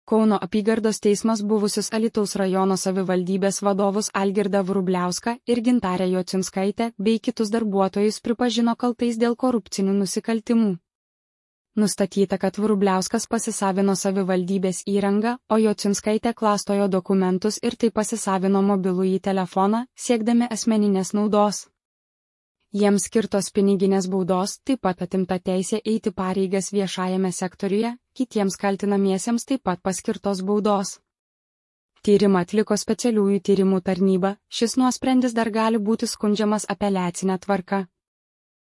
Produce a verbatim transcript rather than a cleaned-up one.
Kauno apygardos teismas buvusius Alytaus rajono savivaldybės vadovus Algirdą Vrubliauską ir Gintarę Jocinskaitę bei kitus darbuotojus pripažino kaltais dėl korupcinių nusikaltimų. Nustatyta, kad Vrubliauskas pasisavino savivaldybės įrangą, o Jocinskaitė klastojo dokumentus ir taip pasisavino mobilųjį telefoną, siekdami asmeninės naudos. Jiems skirtos piniginės baudos, taip pat atimta teisė eiti pareigas viešajame sektoriuje, kitiems kaltinamiesiems taip pat paskirtos baudos. Tyrimą atliko specialiųjų tyrimų tarnyba, šis nuosprendis dar gali būti skundžiamas apeliacine tvarka.